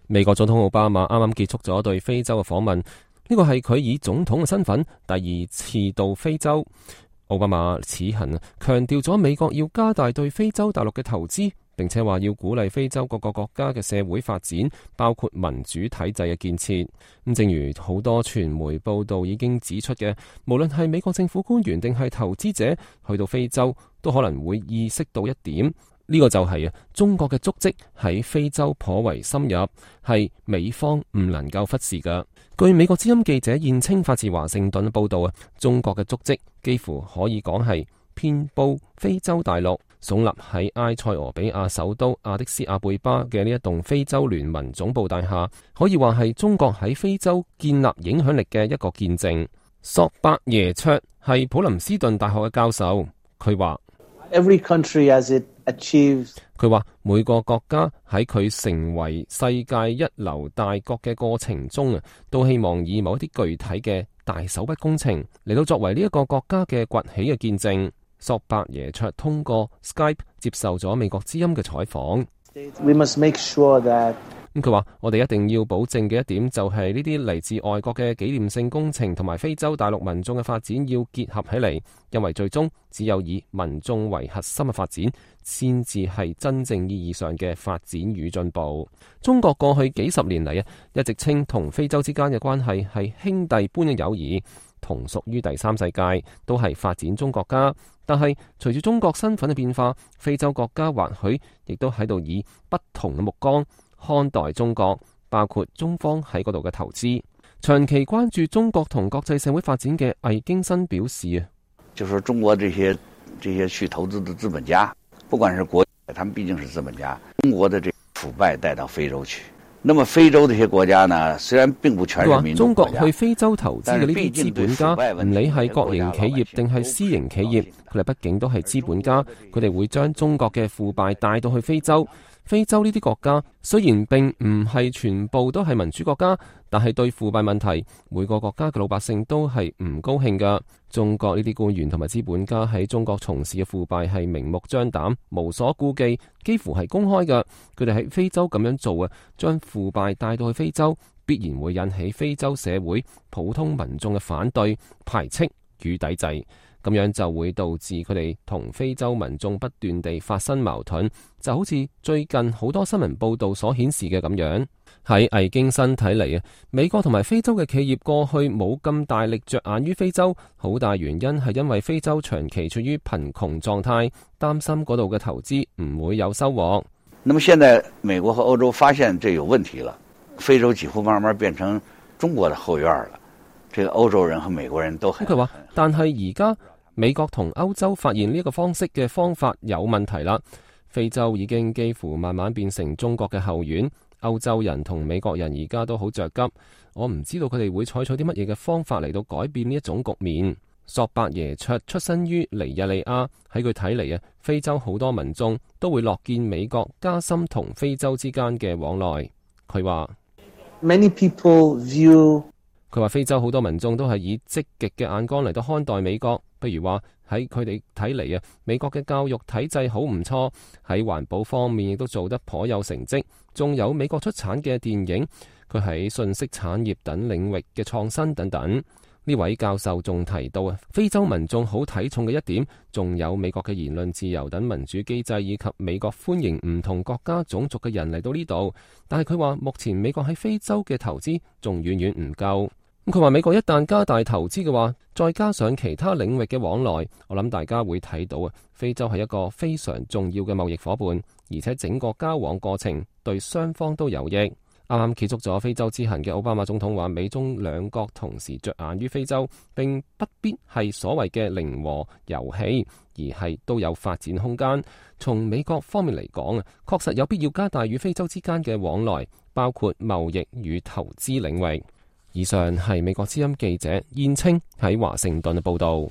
美國總統奧巴馬啱啱結束咗對非洲嘅訪問，呢個係佢以總統嘅身份第二次到非洲。奧巴馬此行強調咗美國要加大對非洲大陸嘅投資，並且話要鼓勵非洲各個國家嘅社會發展，包括民主體制嘅建設。咁正如好多傳媒報道已經指出嘅，無論係美國政府官員定係投資者去到非洲，都可能會意識到一點，呢個就係中國嘅足跡喺非洲頗為深入，係美方唔能夠忽視嘅。據美國之音記者燕青發自華盛頓報道中國嘅足跡幾乎可以講係遍佈非洲大陸。聳立喺埃塞俄比亞首都阿迪斯阿貝巴嘅呢一棟非洲聯盟總部大廈，可以話係中國喺非洲建立影響力嘅一個見證。索伯耶卓係普林斯頓大學嘅教授，佢話佢話每個國家喺佢成為世界一流大國嘅過程中都希望以某一啲具體嘅大手筆工程嚟到作為呢一個國家嘅崛起嘅見證。索伯耶卓通過 Skype 接受咗美國之音嘅採訪。佢話我哋一定要保證嘅一點就係呢啲嚟自外國嘅紀念性工程同埋非洲大陸民眾嘅發展要結合起嚟，因為最終只有以民眾為核心嘅發展先至係真正意義上嘅發展與進步。中國過去幾十年嚟一直稱同非洲之間嘅關係係兄弟般嘅友誼，同屬於第三世界，都係發展中國家。但係隨住中國身份嘅變化，非洲國家或許亦都喺度以不同嘅目光看待中國，包括中方喺嗰度嘅投資。長期關注中國同國際社會發展嘅魏京新表示就說中國這些去投資的資本家，不管是國家，他們畢竟是資本家，中國的這腐敗帶到非洲去。那麼非洲這些國家呢，雖然並不全是民主國家，中國去非洲投資嘅呢啲資本家，唔理係國營企業定係私營企業，佢哋畢竟都係資本家，佢哋會將中國嘅腐敗帶到去非洲。非洲呢啲國家雖然並唔係全部都係民主國家，但係對腐敗問題，每個國家嘅老百姓都係唔高興㗎。中國呢啲官員同埋資本家喺中國從事嘅腐敗係明目張膽、無所顧忌，幾乎係公開㗎。佢哋喺非洲咁樣做將腐敗帶到去非洲，必然會引起非洲社會普通民眾嘅反對、排斥與抵制。咁樣就會導致佢哋同非洲民眾不斷地發生矛盾，就好似最近好多新聞報道所顯示嘅咁樣。喺魏京新睇嚟美國同埋非洲嘅企業過去冇咁大力着眼於非洲，好大原因係因為非洲長期處於貧窮狀態，擔心嗰度嘅投資唔會有收穫。那麼現在美國和歐洲發現這有問題了，非洲幾乎慢慢變成中國的後院了。這個歐洲人和美國人都很。佢話，但係而家美國同歐洲發現呢一個方式嘅方法有問題啦，非洲已經幾乎慢慢變成中國嘅後院，歐洲人同美國人而家都好着急，我唔知道佢哋會採取啲乜嘢嘅方法嚟到改變呢一種局面。索伯耶卓出身於尼日利亞，喺佢睇嚟非洲好多民眾都會樂見美國加深同非洲之間嘅往來。佢話佢話非洲好多民眾都係以積極嘅眼光嚟到看待美國，譬如話喺佢哋睇嚟美國嘅教育體制好唔錯，喺環保方面亦都做得頗有成績，仲有美國出產嘅電影，佢喺信息產業等領域嘅創新等等。呢位教授仲提到非洲民眾好睇重嘅一點，仲有美國嘅言論自由等民主機制，以及美國歡迎唔同國家種族嘅人嚟到呢度。但係佢話目前美國喺非洲嘅投資仲遠遠唔夠。佢話美國一旦加大投資嘅話，再加上其他領域嘅往來，我諗大家會睇到非洲係一個非常重要嘅貿易夥伴，而且整個交往過程對雙方都有益。啱啱結束咗非洲之行嘅奧巴馬總統話，美中兩國同時着眼於非洲，並不必係所謂嘅零和遊戲，而係都有發展空間。從美國方面嚟講確實有必要加大與非洲之間嘅往來，包括貿易與投資領域。以上係美國之音記者燕青喺華盛頓嘅報道。